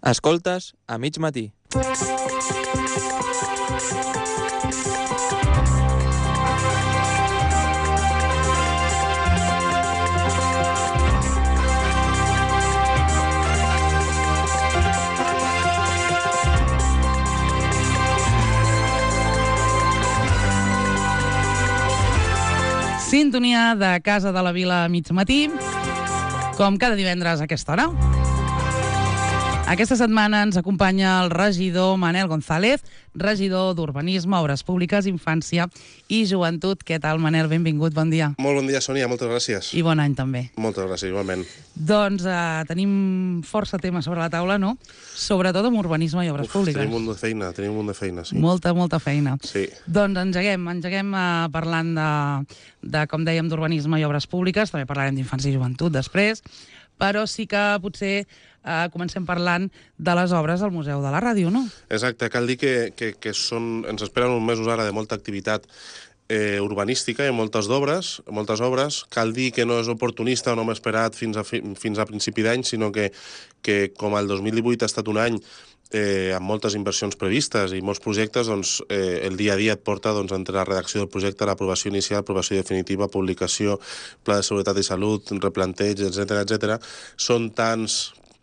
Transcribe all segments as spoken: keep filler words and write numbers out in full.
Escoltes a mig matí. Sintonia de Casa de la Vila a mig matí, com cada divendres a aquesta hora. Aquesta setmana ens acompanya el regidor Manel González, regidor d'Urbanisme, Obres Públiques, Infància i Joventut. Què tal, Manel? Benvingut, bon dia. Molt bon dia, Sònia, moltes gràcies. I bon any, també. Moltes gràcies, igualment. Doncs eh, tenim força temes sobre la taula, no? Sobretot amb urbanisme i obres Uf, públiques. Tenim un munt de feina, tenim un munt de feina, sí. Molta, molta feina. Sí. Doncs engeguem, engeguem eh, parlant de, de, com dèiem, d'urbanisme i obres públiques, també parlarem d'infància i joventut després, però sí que potser eh, comencem parlant de les obres al Museu de la Ràdio, no? Exacte, cal dir que, que, que són, ens esperen uns mesos ara de molta activitat eh, urbanística i moltes d'obres, moltes obres. Cal dir que no és oportunista o no m'he esperat fins a, fi, fins a principi d'any, sinó que, que com el dos mil divuit ha estat un any Eh, amb moltes inversions previstes i molts projectes, doncs, eh, el dia a dia et porta doncs, entre la redacció del projecte, l'aprovació inicial, aprovació definitiva, publicació, pla de seguretat i salut, replanteig, etcètera, etcètera. Són tants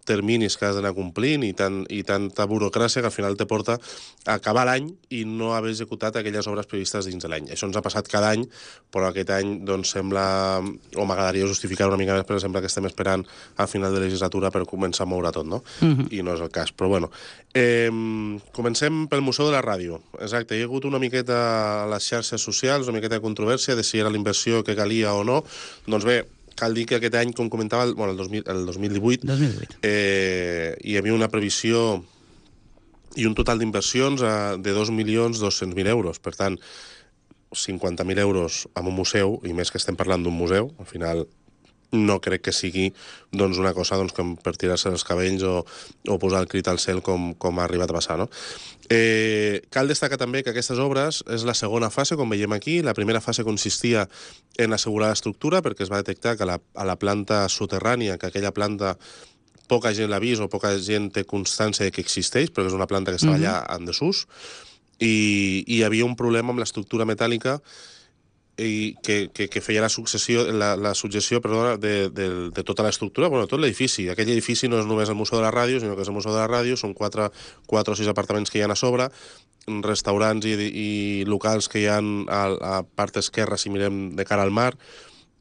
terminis que has d'anar complint i, tant, i tanta burocràcia que al final te porta a acabar l'any i no haver executat aquelles obres previstes dins de l'any. Això ens ha passat cada any, però aquest any doncs, sembla, o m'agradaria justificar una mica més, però sembla que estem esperant al final de legislatura per començar a moure tot, no? Uh-huh. I no és el cas, però bueno. Eh, comencem pel Museu de la Ràdio. Exacte, hi ha hagut una miqueta a les xarxes socials, una miqueta de controvèrsia de si era la inversió que calia o no. Doncs bé, cal dir que aquest any, com comentava, el, bueno, el, dos mil, el dos mil divuit, dos mil divuit. Eh, hi havia una previsió i un total d'inversions eh, de dos milions dos-cents mil euros. Per tant, cinquanta mil euros en un museu, i més que estem parlant d'un museu, al final no crec que sigui doncs, una cosa doncs, com per tirar-se els cabells o, o posar el crit al cel com, com ha arribat a passar, no? Eh, cal destacar també que aquestes obres és la segona fase, com veiem aquí. La primera fase consistia en assegurar l'estructura, perquè es va detectar que la, a la planta soterrània, que aquella planta poca gent l'ha vist o poca gent té constància de que existeix, perquè és una planta que estava allà en desús, i, i hi havia un problema amb l'estructura metàl·lica i que, que, que feia la successió, la, la suggestió perdona, de, de, de tota l'estructura, bueno, tot l'edifici. Aquell edifici no és només el Museu de la Ràdio, sinó que és el Museu de la Ràdio, són quatre, quatre o sis apartaments que hi ha a sobre, restaurants i, i locals que hi ha a, a part esquerra, si mirem de cara al mar,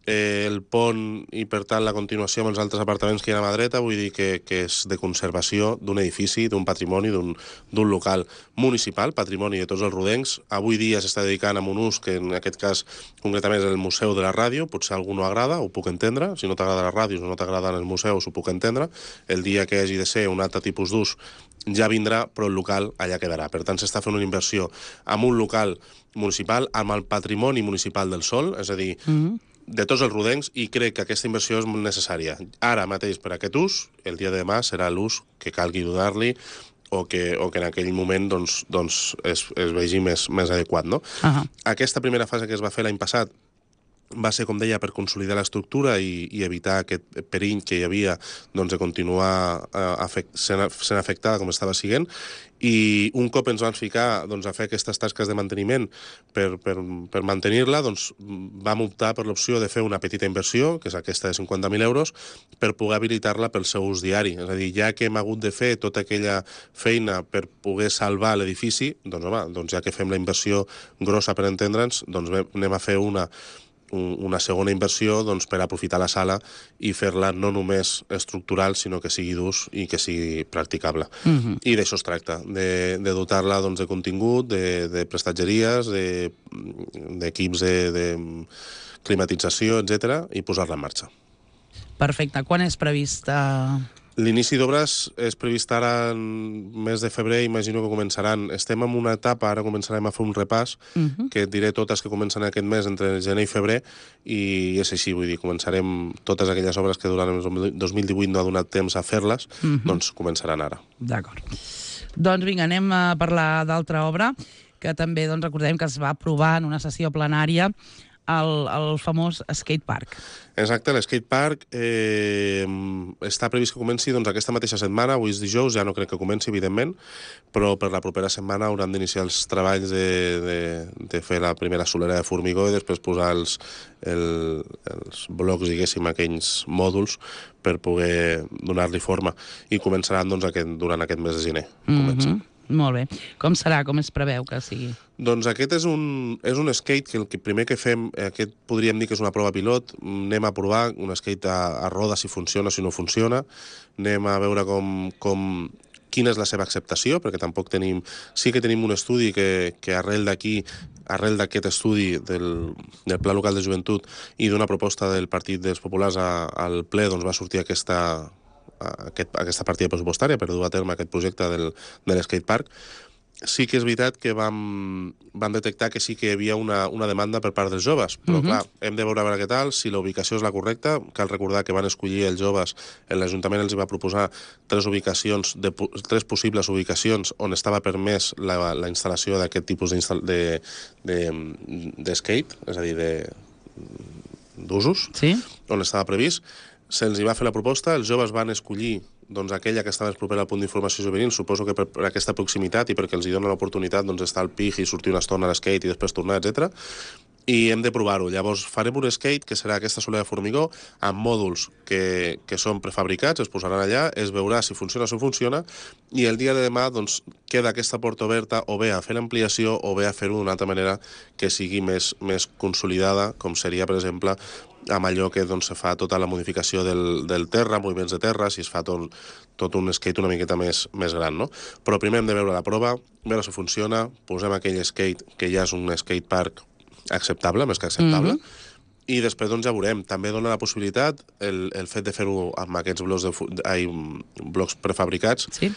eh, el pont i, per tant, la continuació amb els altres apartaments que hi ha a mà dreta, vull dir que, que és de conservació d'un edifici, d'un patrimoni, d'un local municipal, patrimoni de tots els rodencs. Avui dia s'està dedicant a un ús que, en aquest cas, concretament és el Museu de la Ràdio. Potser a algú no agrada, ho puc entendre. Si no t'agrada la ràdio o no t'agraden els museus, ho puc entendre. El dia que hagi de ser un altre tipus d'ús ja vindrà, però el local allà quedarà. Per tant, s'està fent una inversió amb un local municipal, amb el patrimoni municipal del sòl, és a dir, mm-hmm. de tots els rodencs, i crec que aquesta inversió és molt necessària. Ara mateix per aquest ús, el dia de demà serà l'ús que calgui donar-li o que, o que en aquell moment doncs, doncs es, es vegi més, més adequat, no? Uh-huh. Aquesta primera fase que es va fer l'any passat va ser, com deia, per consolidar l'estructura i, i evitar aquest perill que hi havia doncs, de continuar eh, afect, sent, sent afectada com estava siguent, i un cop ens vam ficar doncs, a fer aquestes tasques de manteniment per, per, per mantenir-la, doncs, vam optar per l'opció de fer una petita inversió, que és aquesta de cinquanta mil euros, per poder habilitar-la pel seu ús diari. És a dir, ja que hem hagut de fer tota aquella feina per poder salvar l'edifici, doncs, home, doncs ja que fem la inversió grossa per entendre'ns, doncs anem a fer una una segona inversió doncs, per aprofitar la sala i fer-la no només estructural, sinó que sigui d'ús i que sigui practicable. Uh-huh. I d'això es tracta, de, de dotar-la doncs, de contingut, de, de prestatgeries, d'equips de, de, de climatització, etcètera, i posar-la en marxa. Perfecte. Quan és previst? Uh... L'inici d'obres és previst ara en mes de febrer, imagino que començaran. Estem en una etapa, ara començarem a fer un repàs, uh-huh. que et diré totes que comencen aquest mes entre gener i febrer, i és així, vull dir, començarem totes aquelles obres que durant el dos mil divuit no ha donat temps a fer-les, uh-huh. doncs començaran ara. D'acord. Doncs vinga, anem a parlar d'altra obra, que també doncs, recordem que es va aprovar en una sessió plenària el, el famós skatepark. Exacte, l'skatepark eh, està previst que comenci doncs, aquesta mateixa setmana, avui és dijous, ja no crec que comenci, evidentment, però per la propera setmana hauran d'iniciar els treballs de, de, de fer la primera solera de formigó i després posar els, el, els blocs, diguéssim, aquells mòduls per poder donar-li forma. I començaran doncs, aquest, durant aquest mes de gener. Mm-hmm. Molt bé. Com serà? Com es preveu que sigui? Doncs aquest és un, és un skate que el que primer que fem, aquest podríem dir que és una prova pilot, anem a provar un skate a, a roda si funciona, si no funciona, anem a veure com, com, quina és la seva acceptació, perquè tampoc tenim... Sí que tenim un estudi que, que arrel d'aquí, arrel d'aquest estudi del, del Pla Local de Joventut i d'una proposta del Partit dels Populars a, al ple, doncs va sortir aquesta... Aquest, aquesta partida pressupostària per dur a terme aquest projecte del, de l'skatepark. Sí que és veritat que vam, vam detectar que sí que hi havia una, una demanda per part dels joves, però uh-huh. clar, hem de veure a veure què tal, si la ubicació és la correcta. Cal recordar que van escollir els joves, l'Ajuntament els va proposar tres ubicacions, de, tres possibles ubicacions on estava permès la, la instal·lació d'aquest tipus de, de, de skate, és a dir, d'usos, sí? On estava previst. Se'ls va fer la proposta, els joves van escollir doncs, aquella que està més propera al punt d'informació juvenil, suposo que per, per aquesta proximitat i perquè els hi dona l'oportunitat doncs, d'estar al pig i sortir una estona a l'skate i després tornar, etcètera. I hem de provar-ho. Llavors farem un skate, que serà aquesta solera de formigó, amb mòduls que, que són prefabricats, es posaran allà, es veurà si funciona o si funciona, i el dia de demà doncs, queda aquesta porta oberta o bé a fer l'ampliació o bé a fer-ho d'una altra manera que sigui més, més consolidada, com seria, per exemple, amb allò que doncs, se fa tota la modificació del, del terra, moviments de terra, si es fa tot, tot un skate una miqueta més, més gran, no? Però primer hem de veure la prova, veure si funciona, posem aquell skate, que ja és un skatepark acceptable, més que acceptable, mm-hmm. i després doncs, ja veurem. També dona la possibilitat, el, el fet de fer-ho amb aquests blocs, de, ai, blocs prefabricats, sí.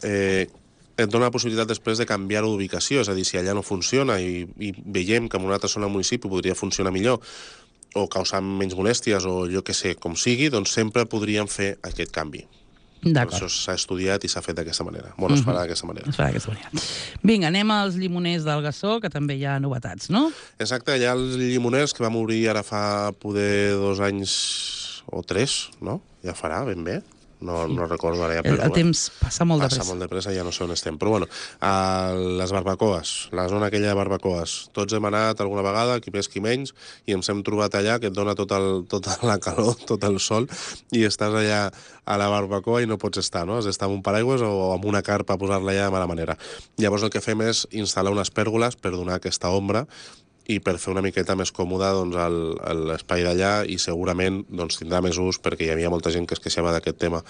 eh, et dona la possibilitat després de canviar-ho d'ubicació, és a dir, si allà no funciona i, i veiem que en una altra zona del municipi podria funcionar millor, o causar menys molèsties, o jo que sé, com sigui, doncs sempre podríem fer aquest canvi. D'acord. Això s'ha estudiat i s'ha fet d'aquesta manera. Bueno, es farà d'aquesta manera. Es farà d'aquesta manera. Vinga, anem als llimoners del Gassó, que també hi ha novetats, no? Exacte, hi ha els llimoners que vam obrir ara fa poder dos anys o tres, no? Ja farà, ben bé. No, no recordo ara ja. El, el temps passa molt de pressa. Passa molt de pressa, ja no sé on estem. Però bueno, a les barbacoes, la zona aquella de barbacoes, tots hem anat alguna vegada, qui més qui menys, i ens hem trobat allà que et dona tot el, tota la calor, tot el sol, i estàs allà a la barbacoa i no pots estar, no? Has d'estar amb un paraigües o amb una carpa a posar-la allà de mala manera. Llavors el que fem és instal·lar unes pèrgoles per donar aquesta ombra i per fer una miqueta més còmode doncs, l'espai d'allà, i segurament doncs, tindrà més ús, perquè hi havia molta gent que es queixava d'aquest tema,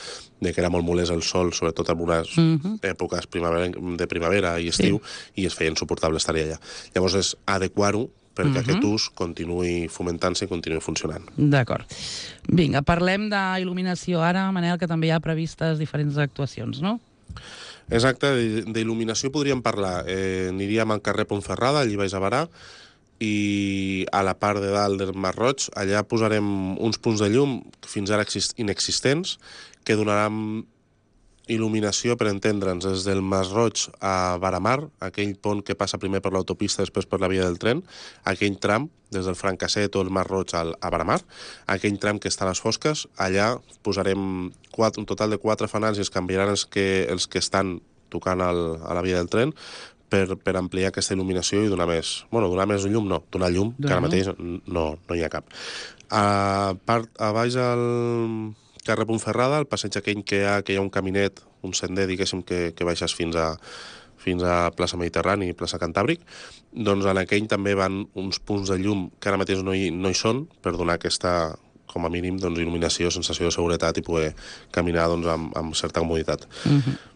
de que era molt molest el sol, sobretot en unes mm-hmm. èpoques primavera, de primavera i estiu, sí. I es feia insuportable estar allà. Llavors és adequar-ho perquè mm-hmm. aquest ús continuï fomentant-se i continuï funcionant. D'acord. Vinga, parlem d'il·luminació ara, Manel, que també hi ha previstes diferents actuacions, no? Exacte, d'il·luminació podríem parlar. Eh, aniríem al carrer Pontferrada, allí baix a Barà, i a la part de dalt del Mar Roig, allà posarem uns punts de llum fins ara inexistents que donaran il·luminació, per entendre'ns, des del Mas Roig a Baramar, aquell pont que passa primer per l'autopista, després per la via del tren, aquell tram, des del Francasset o el Mas Roig al, a Baramar, aquell tram que està a les fosques, allà posarem quatre, un total de quatre fanals i es canviaran els que, els que estan tocant al, a la via del tren, Per, per ampliar aquesta il·luminació i donar més... Bueno, donar més llum no, donar llum, donar que ara mateix no, no hi ha cap. A, part, a baix al carrer Pontferrada, al passeig aquell que hi ha, que hi ha un caminet, un sender, diguéssim, que, que baixes fins a, fins a plaça Mediterrani i plaça Cantàbric, doncs en aquell també van uns punts de llum que ara mateix no hi, no hi són, per donar aquesta, com a mínim, doncs, il·luminació, sensació de seguretat i poder caminar doncs, amb, amb certa comoditat. Mm-hmm.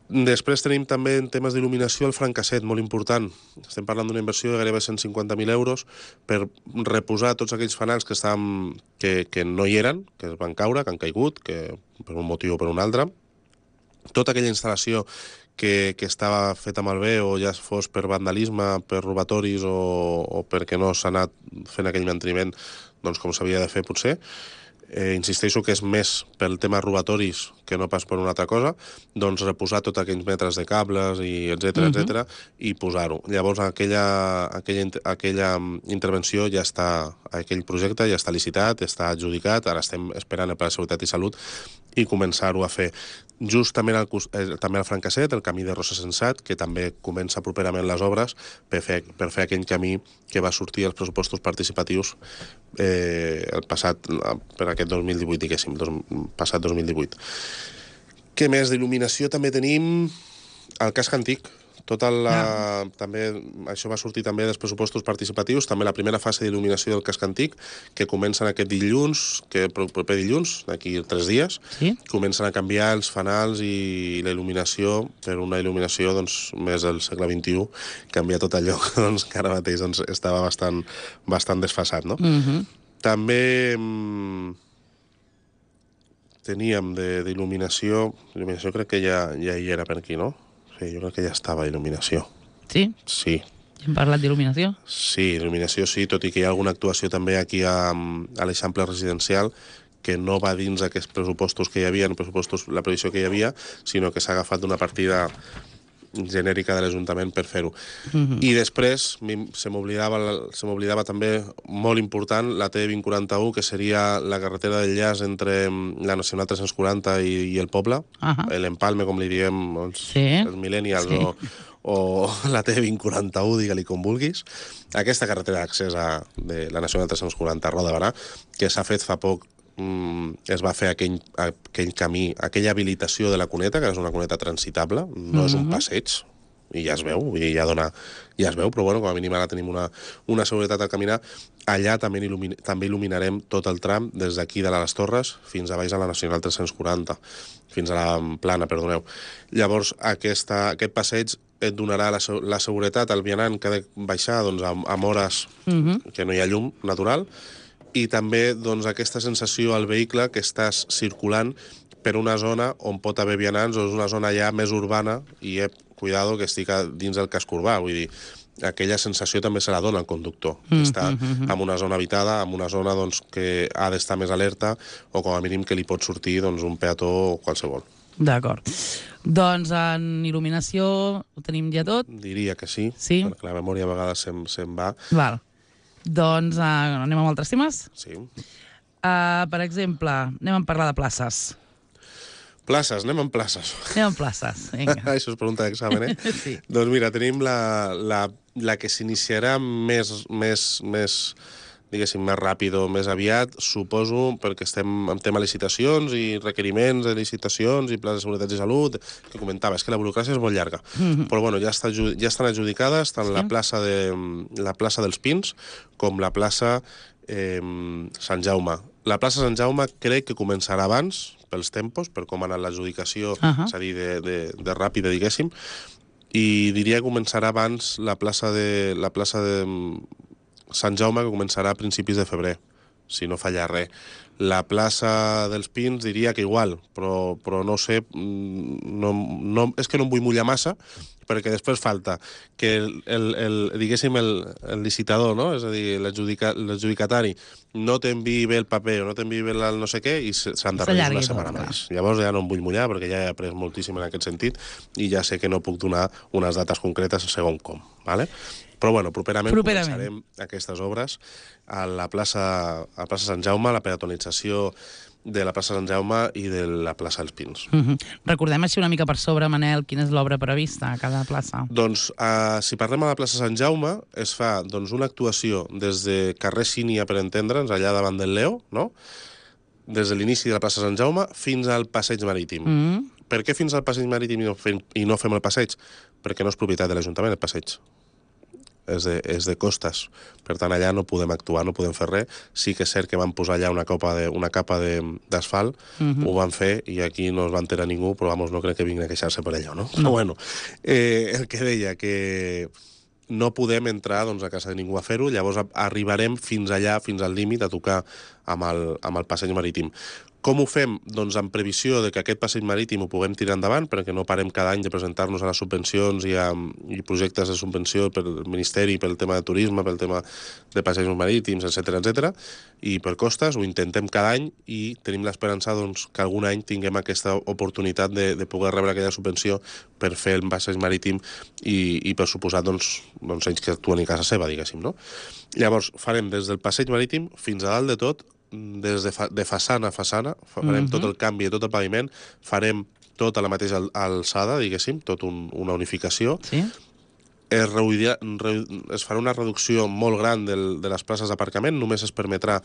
Després tenim també en temes d'il·luminació el Francasset, molt important. Estem parlant d'una inversió de gairebé cent cinquanta mil euros per reposar tots aquells fanals que, estaven, que, que no hi eren, que es van caure, que han caigut, que per un motiu o per un altre. Tota aquella instal·lació que, que estava feta malbé, o ja fos per vandalisme, per robatoris o, o perquè no s'ha anat fent aquell manteniment doncs com s'havia de fer potser, eh, insisteixo que és més pel tema robatoris que no pas per una altra cosa, doncs reposar tots aquells metres de cables, i etcètera, Mhm. etcètera, i posar-ho. Llavors, aquella, aquella, aquella intervenció ja està, aquell projecte ja està licitat, està adjudicat, ara estem esperant el Pla de Seguretat i Salut i començar-ho a fer. Justament al, eh, també al Francasset, el camí de Rosa Sensat, que també comença properament les obres per fer, per fer aquell camí que va sortir als pressupostos participatius eh, el passat, per aquest dos mil divuit, diguéssim, dos, passat dos mil divuit. Què més? D'il·luminació també tenim el casc antic. Tota la, Ah. també, això va sortir també dels pressupostos participatius, també la primera fase d'il·luminació del casc antic, que comencen aquest dilluns, que proper dilluns, d'aquí tres dies, Sí? comencen a canviar els fanals i la il·luminació per una il·luminació doncs, més del segle vint-i-u, canviar tot allò doncs, que ara mateix doncs, estava bastant, bastant desfasat, no? Mhm. També mm, teníem de- d'il·luminació, il·luminació crec que ja, ja hi era per aquí, no? Sí, jo crec que ja estava il·luminació. Sí? Sí, Ja hem parlat d'il·luminació? sí, il·luminació sí, tot i que hi ha alguna actuació també aquí a, a l'Eixample Residencial que no va dins d'aquests pressupostos que hi havia, no pressupostos, la previsió que hi havia, sinó que s'ha agafat d'una partida genèrica de l'Ajuntament per fer-ho. Mhm. I després mi- se m'oblidava se m'oblidava també, molt important, la T vint quaranta-u, que seria la carretera d'enllaç entre mm, la Nacional tres-cents quaranta i, i el poble, Ahà. l'empalme, com li diem els, Sí. els millennials, Sí. o, o la T vint quaranta-u, digue-li com vulguis. Aquesta carretera d'accés a de la Nacional tres-cents quaranta a Roda de Barà, que s'ha fet fa poc, mm, es va fer aquell, aquell camí, aquella habilitació de la cuneta, que és una cuneta transitable, no és un Mhm. passeig, i ja es veu, vull dir, ja, dona, ja es veu, però bueno, com a mínim ara tenim una, una seguretat al caminar. Allà també, il·lumin, també il·luminarem tot el tram des d'aquí de les Torres fins a baix a la Nacional tres-cents quaranta, fins a la Plana, perdoneu. Llavors, aquesta, aquest passeig et donarà la, se- la seguretat al vianant que ha de baixar doncs, amb, amb hores Mhm. que no hi ha llum natural, i també doncs, aquesta sensació al vehicle que estàs circulant per una zona on pot haver vianants, o és una zona ja més urbana, i eh, cuidado que estic a- dins del casc urbà, vull dir, aquella sensació també se la dona al conductor, que està en una zona habitada, en una zona doncs, que ha d'estar més alerta, o com a mínim que li pot sortir doncs, un peató o qualsevol. D'acord. Doncs en il·luminació ho tenim ja tot? Diria que sí, Sí? perquè la memòria a vegades se'n se va. Val. Doncs uh, anem amb altres temes? Sí. Uh, per exemple, anem a parlar de places. Places, anem amb places. Anem amb places, vinga. Això és pregunta d'examen, eh? Sí. Doncs mira, tenim la, la, la que s'iniciarà més, més, més, diguéssim, més ràpid o més aviat, suposo, perquè estem en tema licitacions i requeriments de licitacions i plans de seguretat i salut, que comentava, és que la burocràcia és molt llarga. Mhm. Però bueno, ja, està, adju- ja estan adjudicades tant Sí. la, plaça de, la plaça dels Pins com la plaça eh, Sant Jaume. La plaça Sant Jaume crec que començarà abans, pels tempos, per com ha anat l'adjudicació, Ahà. és a dir, de, de, de ràpida, diguéssim, i diria que començarà abans la plaça de, la plaça de Sant Jaume, que començarà a principis de febrer, si no falla res. La plaça dels Pins diria que igual, però, però no sé, mm, no, no, és que no em vull mullar massa, perquè després falta que el, el, el, diguéssim el, el licitador, no? És a dir, l'adjudica- l'adjudicatari no t'enviï bé el paper o no t'enviï bé el no sé què i se- s'han de reduir S'allargui una setmana tot, clar. més. Llavors ja no em vull mullar perquè ja he après moltíssim en aquest sentit i ja sé que no puc donar unes dates concretes segon com, ¿vale? Però bueno, properament, Properament. començarem aquestes obres a la plaça, a la plaça Sant Jaume, la peatonització de la plaça Sant Jaume i de la plaça dels Pins. Mhm. Recordem així una mica per sobre, Manel, quina és l'obra prevista a cada plaça. Doncs, eh, si parlem a la plaça Sant Jaume, es fa doncs, una actuació des de carrer Sínia, per entendre'ns, allà davant del Leo, no? Des de l'inici de la plaça Sant Jaume fins al passeig marítim. Mhm. Per què fins al passeig marítim i no fem, i no fem el passeig? Perquè no és propietat de l'Ajuntament, el passeig. És de, és de costes. Per tant, allà no podem actuar, no podem fer res. Sí que és cert que van posar allà una capa de, una capa de- d'asfalt, Mhm. ho van fer i aquí no es va enterar ningú, però vamos, no crec que vinguin a queixar-se per allò, no? Però bueno, eh, el que deia, que no podem entrar doncs, a casa de ningú a fer-ho, llavors a- arribarem fins allà, fins al límit, a tocar amb el, amb el passeig marítim. Com ho fem? Doncs en previsió de que aquest passeig marítim ho puguem tirar endavant, perquè no parem cada any de presentar-nos a les subvencions i a i projectes de subvenció pel Ministeri, pel tema de turisme, pel tema de passejos marítims, etcètera, etcètera, i per costes, ho intentem cada any i tenim l'esperança doncs, que algun any tinguem aquesta oportunitat de, de poder rebre aquella subvenció per fer el passeig marítim i, i per suposar doncs, doncs ells que actuen a casa seva, diguéssim, no? Llavors, farem des del passeig marítim fins a dalt de tot, des de, fa, de façana a façana, farem uh-huh. tot el canvi de tot el paviment, farem tota la mateixa alçada, diguéssim, tot un, una unificació. Sí. Es, reudirà, re, es farà una reducció molt gran del, de les places d'aparcament, només es permetrà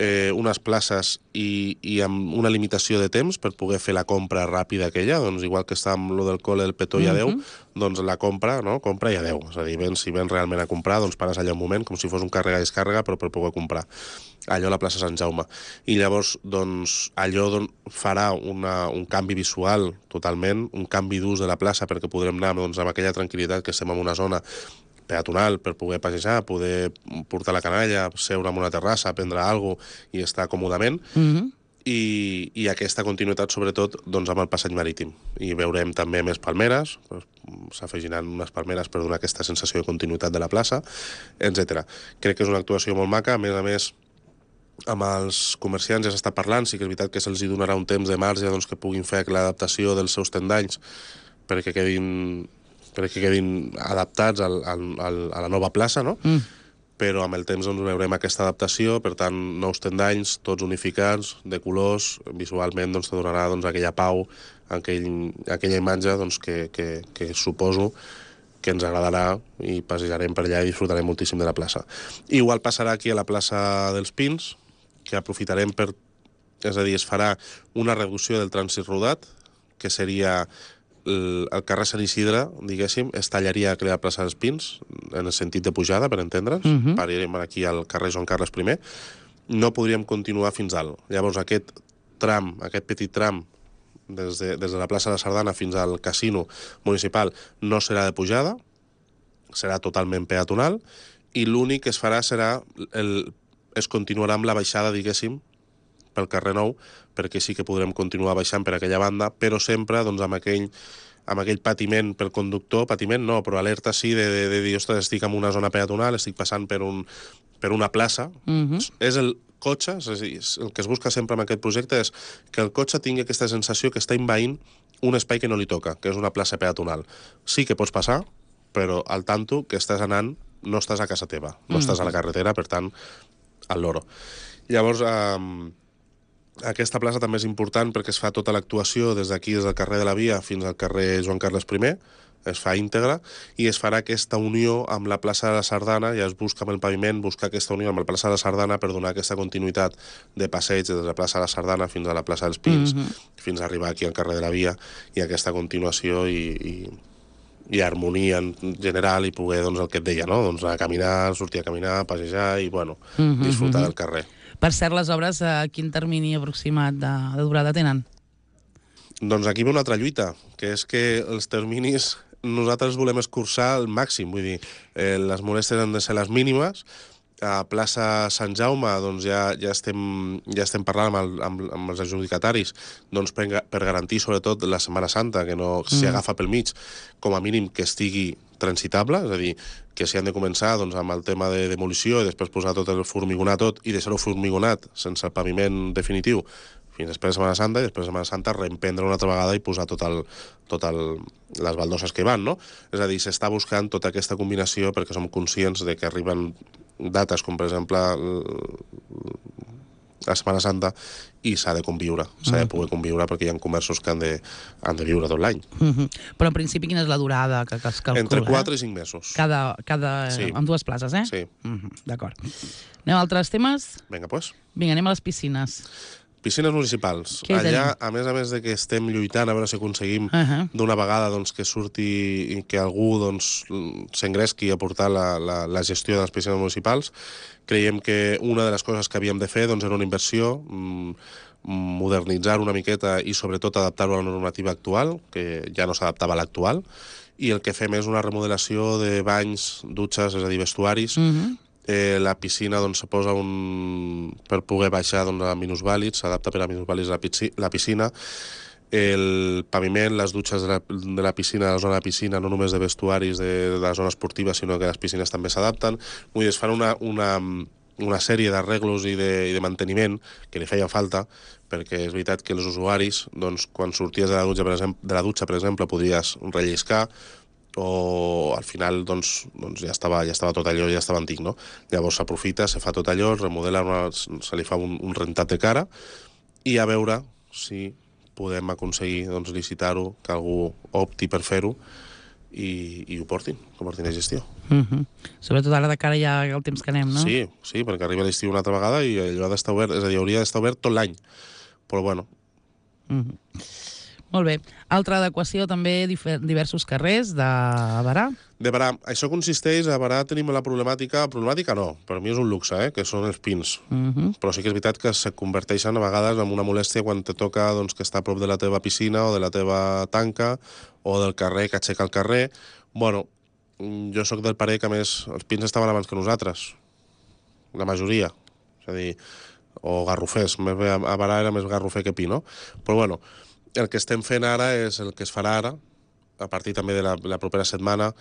eh, unes places i, i amb una limitació de temps per poder fer la compra ràpida aquella, doncs igual que està amb lo del col·le, el petó i adeu, uh-huh. doncs la compra, no? Compra i adeu. És a dir, ben, si vens realment a comprar, doncs pares allà un moment, com si fos un càrrega-descàrrega, però per poder comprar. Allò a la plaça Sant Jaume. I llavors, doncs, allò don, farà una, un canvi visual totalment, un canvi d'ús de la plaça perquè podrem anar doncs, amb aquella tranquil·litat que estem en una zona peatonal per poder passejar, poder portar la canalla, seure en una terrassa, prendre alguna cosa i estar còmodament. Mm-hmm. I, i aquesta continuïtat, sobretot, doncs, amb el passeig marítim. I veurem també més palmeres, s'afegiran unes palmeres per donar aquesta sensació de continuïtat de la plaça, etcètera. Crec que és una actuació molt maca, a més a més, amb els comerciants ja s'està parlant, sí que és veritat que se'ls donarà un temps de marge doncs, que puguin fer l'adaptació dels seus tendanys perquè quedin, perquè quedin adaptats al, al, al, a la nova plaça, no? Mm. Però amb el temps doncs, veurem aquesta adaptació, per tant, nous tendanys, tots unificats, de colors, visualment doncs, te donarà doncs, aquella pau, aquell, aquella imatge doncs, que, que, que suposo que ens agradarà i passejarem per allà i disfrutarem moltíssim de la plaça. Igual passarà aquí a la plaça dels Pins, que aprofitarem per... És a dir, es farà una reducció del trànsit rodat, que seria el, el carrer Sant Isidre, diguéssim, es tallaria aquí a la plaça dels Pins, en el sentit de pujada, per entendre's, uh-huh. Parirem aquí al carrer Joan Carles primer, no podríem continuar fins dalt. Llavors, aquest tram, aquest petit tram, des de, des de la plaça de la Sardana fins al casino municipal, no serà de pujada, serà totalment peatonal, i l'únic que es farà serà el es continuarà amb la baixada, diguéssim, pel carrer Nou, perquè sí que podrem continuar baixant per aquella banda, però sempre doncs, amb, aquell, amb aquell patiment pel conductor, patiment no, però alerta sí de, de, de dir, ostres, estic en una zona peatonal, estic passant per, un, per una plaça. Uh-huh. És el cotxe, és a dir, el que es busca sempre amb aquest projecte és que el cotxe tingui aquesta sensació que està envaint un espai que no li toca, que és una plaça peatonal. Sí que pots passar, però al tanto que estàs anant, no estàs a casa teva, no uh-huh. estàs a la carretera, per tant, al loro. Llavors, eh, aquesta plaça també és important perquè es fa tota l'actuació des d'aquí, des del carrer de la Via fins al carrer Joan Carles primer, es fa íntegra, i es farà aquesta unió amb la plaça de la Sardana, ja es busca amb el paviment, buscar aquesta unió amb la plaça de la Sardana per donar aquesta continuïtat de passeig des de la plaça de la Sardana fins a la plaça dels Pins, mm-hmm. fins a arribar aquí al carrer de la Via, i aquesta continuació i... i i harmonia en general i poder, doncs, el que et deia, no? Doncs anar a caminar, sortir a caminar, passejar i, bueno, mm-hmm, disfrutar mm-hmm. del carrer. Per cert, les obres, a quin termini aproximat de, de durada tenen? Doncs aquí ve una altra lluita, que és que els terminis nosaltres volem escurçar al màxim, vull dir, eh, les molèsties han de ser les mínimes. A plaça Sant Jaume doncs ja, ja, estem, ja estem parlant amb, el, amb, amb els adjudicataris doncs per, per garantir sobretot la Setmana Santa, que no mm. s'hi agafa pel mig, com a mínim que estigui transitable, és a dir, que s'hi han de començar doncs, amb el tema de demolició i després posar tot el formigonat tot i deixar-ho formigonat sense el paviment definitiu fins després de Setmana Santa, i després de Setmana Santa reemprendre una altra vegada i posar tot el, tot el, les baldoses que van, no? És a dir, s'està buscant tota aquesta combinació perquè som conscients de que arriben dates com, per exemple, la Setmana Santa, i s'ha de conviure, s'ha de poder conviure perquè hi ha comerços que han de, han de viure tot l'any. Uh-huh. Però en principi quina és la durada que, que es calcula? Entre quatre eh? i cinc mesos. Cada, cada, sí. Amb dues places, eh? Sí. Uh-huh. D'acord. Anem a altres temes? Vinga, doncs. Vinga, anem a les piscines. Piscines municipals. Allà, a més a més de que estem lluitant a veure si aconseguim uh-huh. d'una vegada doncs, que surti i que algú doncs, s'engresqui a portar la, la, la gestió de les piscines municipals, creiem que una de les coses que havíem de fer doncs, era una inversió, modernitzar una miqueta i sobretot adaptar-ho a la normativa actual, que ja no s'adaptava a l'actual, i el que fem és una remodelació de banys, dutxes, és a dir, vestuaris, uh-huh. Eh, la piscina doncs, se posa un... per poder baixar doncs, a minusvàlids, s'adapta per a minusvàlids la, pisci... la piscina. El paviment, les dutxes de la, de la piscina, de la zona de piscina, no només de vestuaris de, de la zona esportiva, sinó que les piscines també s'adapten. Vull dir, es fan una, una, una sèrie d'arreglos i, de, i de manteniment que li feien falta, perquè és veritat que els usuaris, doncs, quan sorties de la dutxa, per exemple, de la dutxa, per exemple, podries relliscar, o al final doncs, doncs ja, estava, ja estava tot allò, ja estava antic, no? Llavors s'aprofita, se fa tot allò, es remodela, una, se li fa un, un rentat de cara, i a veure si podem aconseguir doncs, licitar-ho, que algú opti per fer-ho i, i ho portin, que ho portin a gestió. Uh -huh. Sobretot ara de cara ja el temps que anem, no? Sí, sí, perquè arriba l'estiu una altra vegada i allò ha d'estar obert, és a dir, hauria d'estar obert tot l'any. Però bueno. Uh -huh. Molt bé. Altra adequació també, diversos carrers de Berà. De Berà. Això consisteix, a Berà tenim la problemàtica, problemàtica no, per mi és un luxe, eh, que són els pins. Uh -huh. Però sí que és veritat que se converteixen a vegades en una molèstia quan te toca doncs, que està a prop de la teva piscina o de la teva tanca o del carrer que aixeca el carrer. Bueno, jo sóc del parer que, a més, els pins estaven abans que nosaltres. La majoria. És a dir, o garrofers. Més bé, a Berà era més garrofer que pi, no? Però bueno, el que estem fent ara és el que es farà ara, a partir també de la, la propera setmana,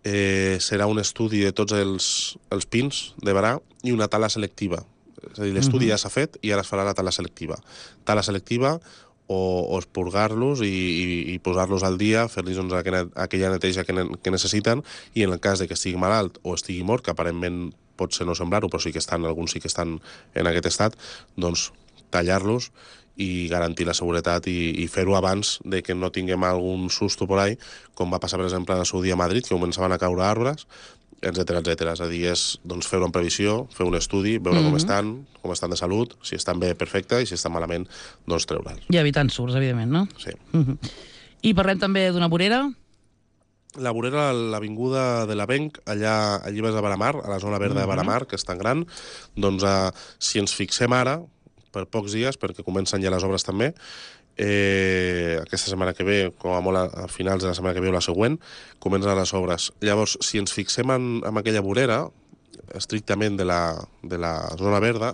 eh, serà un estudi de tots els, els pins de Berà i una tala selectiva. És a dir, l'estudi uh-huh. ja s'ha fet i ara es farà la tala selectiva. Tala selectiva o, o expurgar-los i, i, i posar-los al dia, fer-los doncs, aquella, aquella neteja que, ne, que necessiten, i en el cas de que estigui malalt o estigui mort, que aparentment pot ser no semblar-ho, però sí que estan, alguns sí que estan en aquest estat, doncs tallar-los i garantir la seguretat i, i fer-ho abans de que no tinguem algun susto por ahí, com va passar, per exemple, en el seu dia a Madrid, que començaven a caure arbres, etcètera, etcètera. És a dir, és doncs, fer-ho en previsió, fer un estudi, veure mm-hmm. com estan, com estan de salut, si estan bé, perfecte, i si estan malament, doncs treure'ls. I evitant surts, evidentment, no? Sí. Mm-hmm. I parlem també d'una vorera? La vorera a l'avinguda de l'Avenc, allà a Llibres de Baramar, a la zona verda mm-hmm. de Baramar, que és tan gran, doncs eh, si ens fixem ara, per pocs dies, perquè comencen ja les obres també, eh, aquesta setmana que ve, com a molt a, a finals de la setmana que ve o la següent, comencen les obres. Llavors, si ens fixem en, en aquella vorera, estrictament de la, de la zona verda,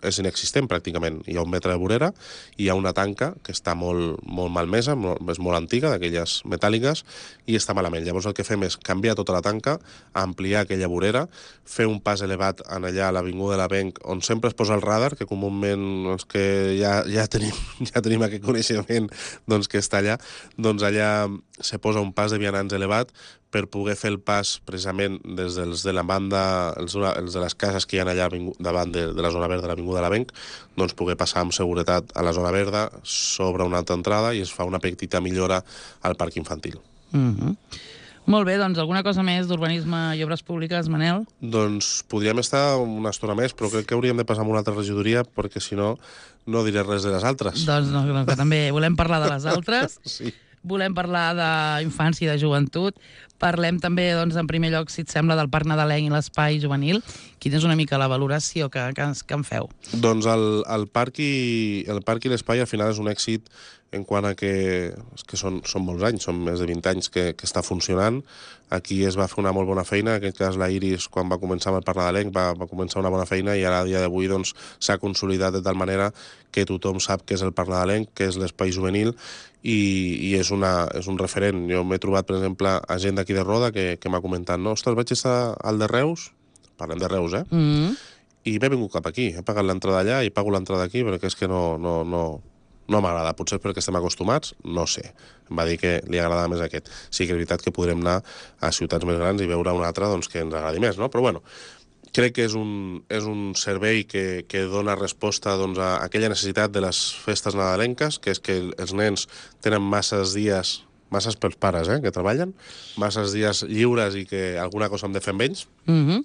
és inexistent pràcticament. Hi ha un metre de vorera, hi ha una tanca que està molt, molt malmesa, molt, és molt antiga, d'aquelles metàl·liques, i està malament. Llavors el que fem és canviar tota la tanca, ampliar aquella vorera, fer un pas elevat en allà a l'avinguda de l'Avenc, on sempre es posa el radar, que comúment els que ja, ja, tenim, ja tenim aquest coneixement doncs, que està allà, doncs allà se posa un pas de vianants elevat per poder fer el pas precisament des dels de la banda, els, els de les cases que hi ha allà davant de, de la zona verda de l'avinguda de l'Avenc, doncs poder passar amb seguretat a la zona verda, s'obre una altra entrada i es fa una petita millora al parc infantil. Mm-hmm. Molt bé, doncs alguna cosa més d'urbanisme i obres públiques, Manel? Doncs podríem estar una estona més, però crec que hauríem de passar a una altra regidoria, perquè si no, no diré res de les altres. Doncs no, no, que també volem parlar de les altres. Sí. Volem parlar d'infància i de joventut. Parlem també, doncs, en primer lloc, si et sembla, del Parc Nadalenc i l'Espai Juvenil. Quina és una mica la valoració que, que, que en feu? Doncs el, el parc i el parc i l'espai al final és un èxit en quant a que, que són, són molts anys, són més de vint anys que, que està funcionant. Aquí es va fer una molt bona feina, en aquest cas la Iris, quan va començar amb el Parc Nadalenc, va, va començar una bona feina i ara a dia d'avui doncs, s'ha consolidat de tal manera que tothom sap què és el Parc Nadalenc, què és l'espai juvenil, i, i és, una, és un referent. Jo m'he trobat, per exemple, a gent d'aquí de Roda que, que m'ha comentat, no, ostres, vaig estar al de Reus, parlem de Reus, eh? Mm-hmm. I m'he vingut cap aquí, he pagat l'entrada allà i pago l'entrada aquí, perquè és que no, no, no, no m'agrada. Potser perquè estem acostumats, no sé. Em va dir que li agradava més aquest. Sí que és veritat que podrem anar a ciutats més grans i veure una altra doncs, que ens agradi més, no? Però bueno, crec que és un, és un servei que, que dona resposta doncs, a aquella necessitat de les festes nadalenques, que és que els nens tenen masses dies, masses pels pares, eh, que treballen, masses dies lliures i que alguna cosa hem de fer amb ells, mm-hmm.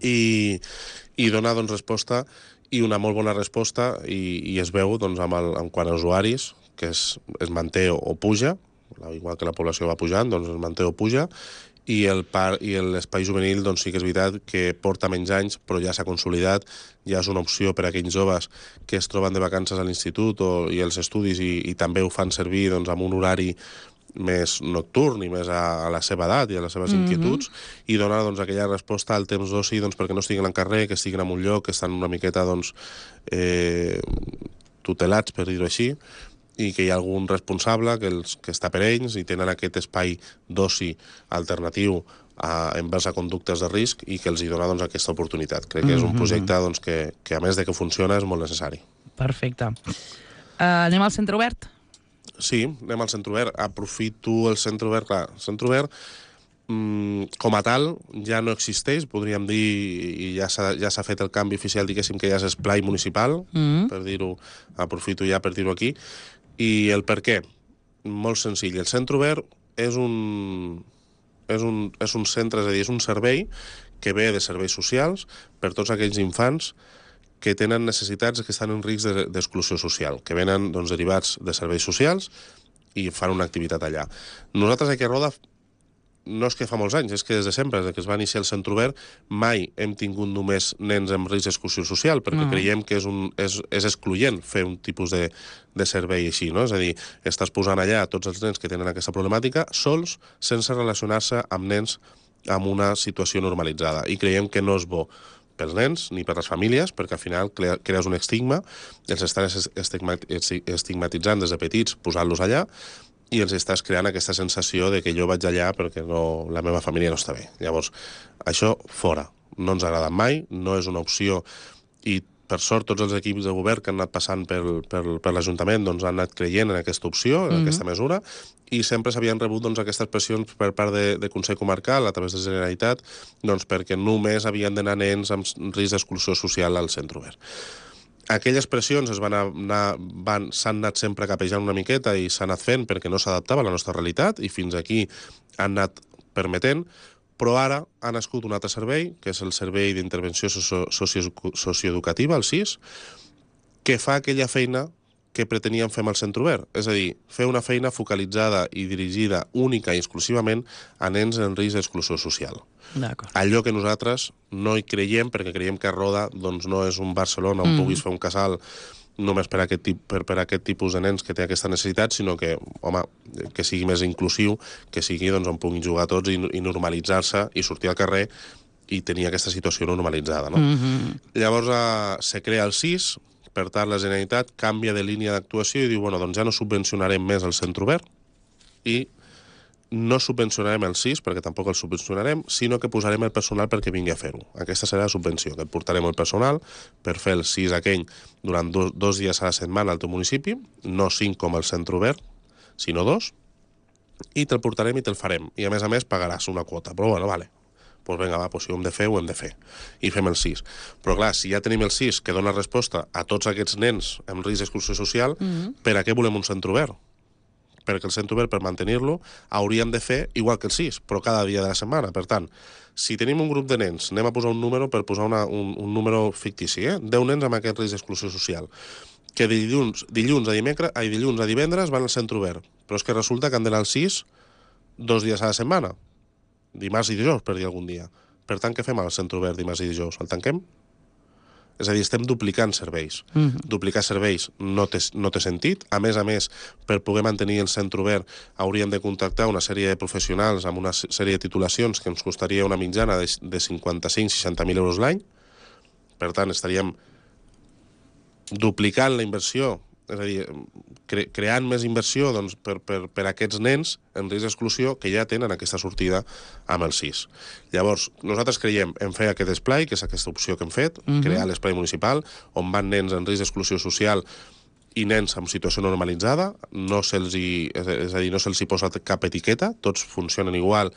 i, i dona doncs, resposta, i una molt bona resposta, i, i es veu doncs, amb el, en quant a usuaris, que es, es manté o, o puja, igual que la població va pujant, doncs es manté o puja, i el par i l'espai juvenil doncs sí que és veritat que porta menys anys, però ja s'ha consolidat, ja és una opció per a aquells joves que es troben de vacances a l'institut o, i els estudis i, i també ho fan servir doncs, amb un horari més nocturn i més a, a la seva edat i a les seves Mhm. inquietuds, i donar doncs, aquella resposta al temps d'oci doncs, perquè no estiguin al carrer, que estiguin en un lloc, que estan una miqueta doncs, eh, tutelats, per dir-ho així, i que hi ha algun responsable que, els, que està per ells i tenen aquest espai d'oci alternatiu a, envers a conductes de risc i que els hi dona doncs, aquesta oportunitat. Crec que és un projecte doncs, que, que, a més de que funciona, és molt necessari. Perfecte. Uh, anem al centre obert? Sí, anem al centre obert. Aprofito el centre obert. Clar, el centre obert, mmm, com a tal, ja no existeix, podríem dir, i ja s'ha ja s'ha fet el canvi oficial, diguéssim, que ja és esplai municipal, Mm. per dir-ho, aprofito ja per dir-ho aquí. I el per què? Molt senzill. El centre obert és un, és un, és un centre, és a dir, és un servei que ve de serveis socials per tots aquells infants que tenen necessitats que estan en risc de- d'exclusió social, que venen doncs, derivats de serveis socials i fan una activitat allà. Nosaltres aquí a Roda no és que fa molts anys, és que des de sempre, des que es va iniciar el centre obert, mai hem tingut només nens amb risc d'exclusió social, perquè Ah. creiem que és, un, és, és excloent fer un tipus de, de servei així, no? És a dir, estàs posant allà tots els nens que tenen aquesta problemàtica sols, sense relacionar-se amb nens amb una situació normalitzada. I creiem que no és bo pels nens ni per les famílies, perquè al final crea, crees un estigma, els estàs estigmat, estigmatitzant des de petits, posant-los allà, i els estàs creant aquesta sensació de que jo vaig allà perquè no, la meva família no està bé. Llavors, això fora. No ens ha agradat mai, no és una opció, i per sort tots els equips de govern que han anat passant per, per, per l'Ajuntament doncs, han anat creient en aquesta opció, en Mhm. aquesta mesura, i sempre s'havien rebut doncs, aquestes pressions per part de, de Consell Comarcal, a través de la Generalitat, doncs, perquè només havien d'anar nens amb risc d'exclusió social al centre obert. Aquelles pressions es van anar, van, s'han anat sempre capejant una miqueta i s'han anat fent perquè no s'adaptava a la nostra realitat, i fins aquí han anat permetent, però ara ha nascut un altre servei, que és el Servei d'Intervenció Socio Socio Socioeducativa, el S I S, que fa aquella feina que preteníem fer amb el centre obert. És a dir, fer una feina focalitzada i dirigida única i exclusivament a nens en risc d'exclusió social. D'acord. Allò que nosaltres no hi creiem, perquè creiem que Roda doncs, no és un Barcelona on Mm. puguis fer un casal només per aquest, tip, per, per aquest tipus de nens que té aquesta necessitat, sinó que, home, que sigui més inclusiu, que sigui doncs, on puguin jugar tots i, i normalitzar-se i sortir al carrer i tenir aquesta situació normalitzada. No? Mhm. Llavors eh, se crea el S I S, per tant la Generalitat canvia de línia d'actuació i diu, bueno, doncs ja no subvencionarem més el centre obert i no subvencionarem el S I S, perquè tampoc el subvencionarem, sinó que posarem el personal perquè vingui a fer-ho. Aquesta serà la subvenció, que et portarem el personal per fer el S I S aquell durant dos, dos dies a la setmana al teu municipi, no cinc com el centre obert, sinó dos, i te'l portarem i te'l farem. I a més a més pagaràs una quota. Però bueno, vale, doncs vinga, va, doncs si ho hem de fer, ho hem de fer. I fem el S I S. Però clar, si ja tenim el S I S que dona resposta a tots aquests nens amb risc d'exclusió social, Mhm. per a què volem un centre obert? Perquè el centre obert, per mantenir-lo, hauríem de fer igual que el S I S, però cada dia de la setmana. Per tant, si tenim un grup de nens, anem a posar un número per posar una, un, un número fictici, eh? deu nens amb aquest risc d'exclusió social, que dilluns, dilluns, a dimecres, ai, dilluns a divendres van al centre obert, però és que resulta que han d'anar al S I S dos dies a la setmana, dimarts i dijous, per dir algun dia. Per tant, què fem al centre obert dimarts i dijous? El tanquem? És a dir, estem duplicant serveis. Mhm. Duplicar serveis no té, no té sentit. A més a més, per poder mantenir el centre obert hauríem de contractar una sèrie de professionals amb una sèrie de titulacions que ens costaria una mitjana de, de cinquanta-cinc a seixanta mil euros l'any. Per tant, estaríem duplicant la inversió, és a dir, cre creant més inversió doncs, per, per, per a aquests nens en risc d'exclusió que ja tenen aquesta sortida amb el S I S. Llavors, nosaltres creiem en fer aquest esplai, que és aquesta opció que hem fet, Mhm. crear l'esplai municipal, on van nens en risc d'exclusió social i nens en situació normalitzada, no se'ls hi, és a dir, no se'ls hi posa cap etiqueta, tots funcionen igual,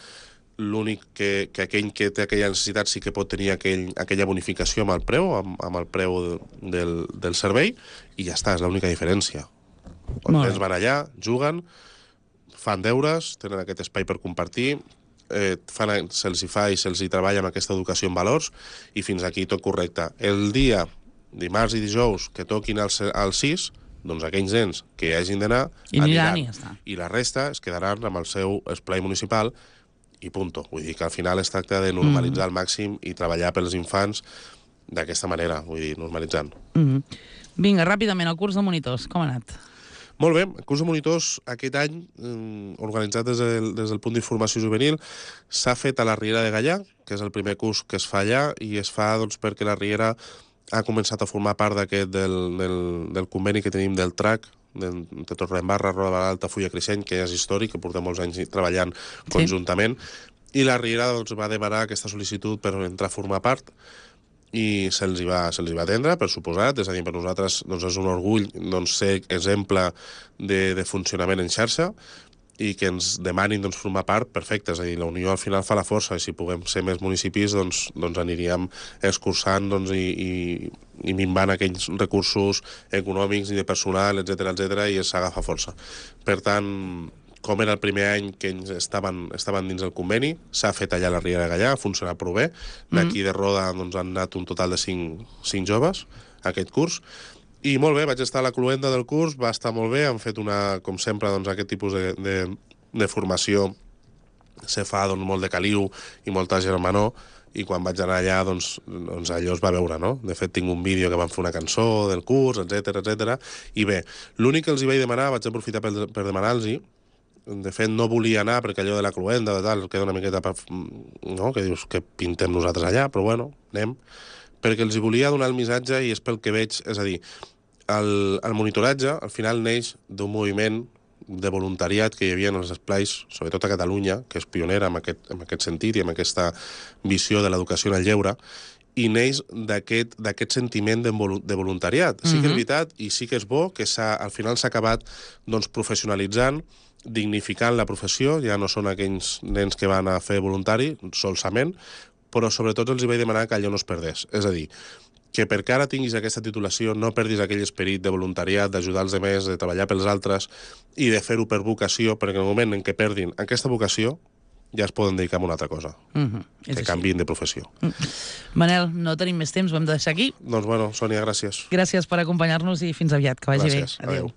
l'únic que, que aquell que té aquella necessitat sí que pot tenir aquell, aquella bonificació amb el preu, amb, amb el preu de, del, del servei, i ja està, és l'única diferència. Els Molt nens bé. van allà, juguen, fan deures, tenen aquest espai per compartir, eh, fan, se'ls hi fa i se'ls hi treballa amb aquesta educació en valors, i fins aquí tot correcte. El dia, dimarts i dijous, que toquin al, al S I S, doncs aquells nens que hi hagin d'anar, I aniran i ja està. i la resta es quedaran amb el seu esplai municipal i punto. Vull dir que al final es tracta de normalitzar al màxim i treballar pels infants d'aquesta manera, vull dir, normalitzant. Mhm. Vinga, ràpidament, el curs de monitors, com ha anat? Molt bé, el curs de monitors aquest any, eh, organitzat des del, des del punt d'informació juvenil, s'ha fet a la Riera de Gallà, que és el primer curs que es fa allà, i es fa doncs, perquè la Riera ha començat a formar part d'aquest del, del, del conveni que tenim del T R A C, de, de Torredembarra, Roda de Alta, Fulla Creixent, que ja és històric, que porta molts anys treballant sí. conjuntament, i la Riera doncs, va demanar aquesta sol·licitud per entrar a formar part, i se'ls va, se va atendre, per suposat, és a dir, per nosaltres doncs, és un orgull doncs, ser exemple de, de funcionament en xarxa, i que ens demanin doncs, formar part, perfecte, és a dir, la unió al final fa la força, i si puguem ser més municipis, doncs, doncs aniríem escurçant doncs, i, i, i minvant aquells recursos econòmics i de personal, etcètera, etcètera, i s'agafa força. Per tant, com era el primer any que ells estaven, estaven dins el conveni, s'ha fet allà a la Riera de Gallà, ha funcionat prou bé. D'aquí de Roda doncs, han anat un total de cinc, cinc joves a aquest curs. I molt bé, vaig estar a la cluenda del curs, va estar molt bé, han fet una, com sempre, doncs, aquest tipus de, de, de formació se fa doncs, molt de caliu i molta germanor, i quan vaig anar allà, doncs, doncs allò es va veure, no? De fet, tinc un vídeo que van fer una cançó del curs, etcètera, etcètera. I bé, l'únic que els hi vaig demanar, vaig aprofitar per, per demanar-los-hi, de fet, no volia anar perquè allò de la cluenda, de tal, queda una miqueta... Per, no? Que dius que pintem nosaltres allà, però bueno, anem. Perquè els hi volia donar el missatge i és pel que veig, és a dir, el, el monitoratge al final neix d'un moviment de voluntariat que hi havia en els esplais, sobretot a Catalunya, que és pionera en aquest, en aquest sentit i en aquesta visió de l'educació en el lleure, i neix d'aquest sentiment de, de voluntariat. Sí que és veritat i sí que és bo que al final s'ha acabat doncs, professionalitzant, dignificant la professió, ja no són aquells nens que van a fer voluntari, solament, però sobretot els hi vaig demanar que allò no es perdés. És a dir, que perquè ara tinguis aquesta titulació no perdis aquell esperit de voluntariat, d'ajudar els altres, de treballar pels altres i de fer-ho per vocació, perquè en el moment en què perdin aquesta vocació ja es poden dedicar a una altra cosa, uh-huh. que canviïn de professió. Uh-huh. Manel, no tenim més temps, ho hem de deixar aquí. Doncs bueno, Sònia, gràcies. Gràcies per acompanyar-nos i fins aviat, que vagi gràcies. bé. Adéu. Adéu.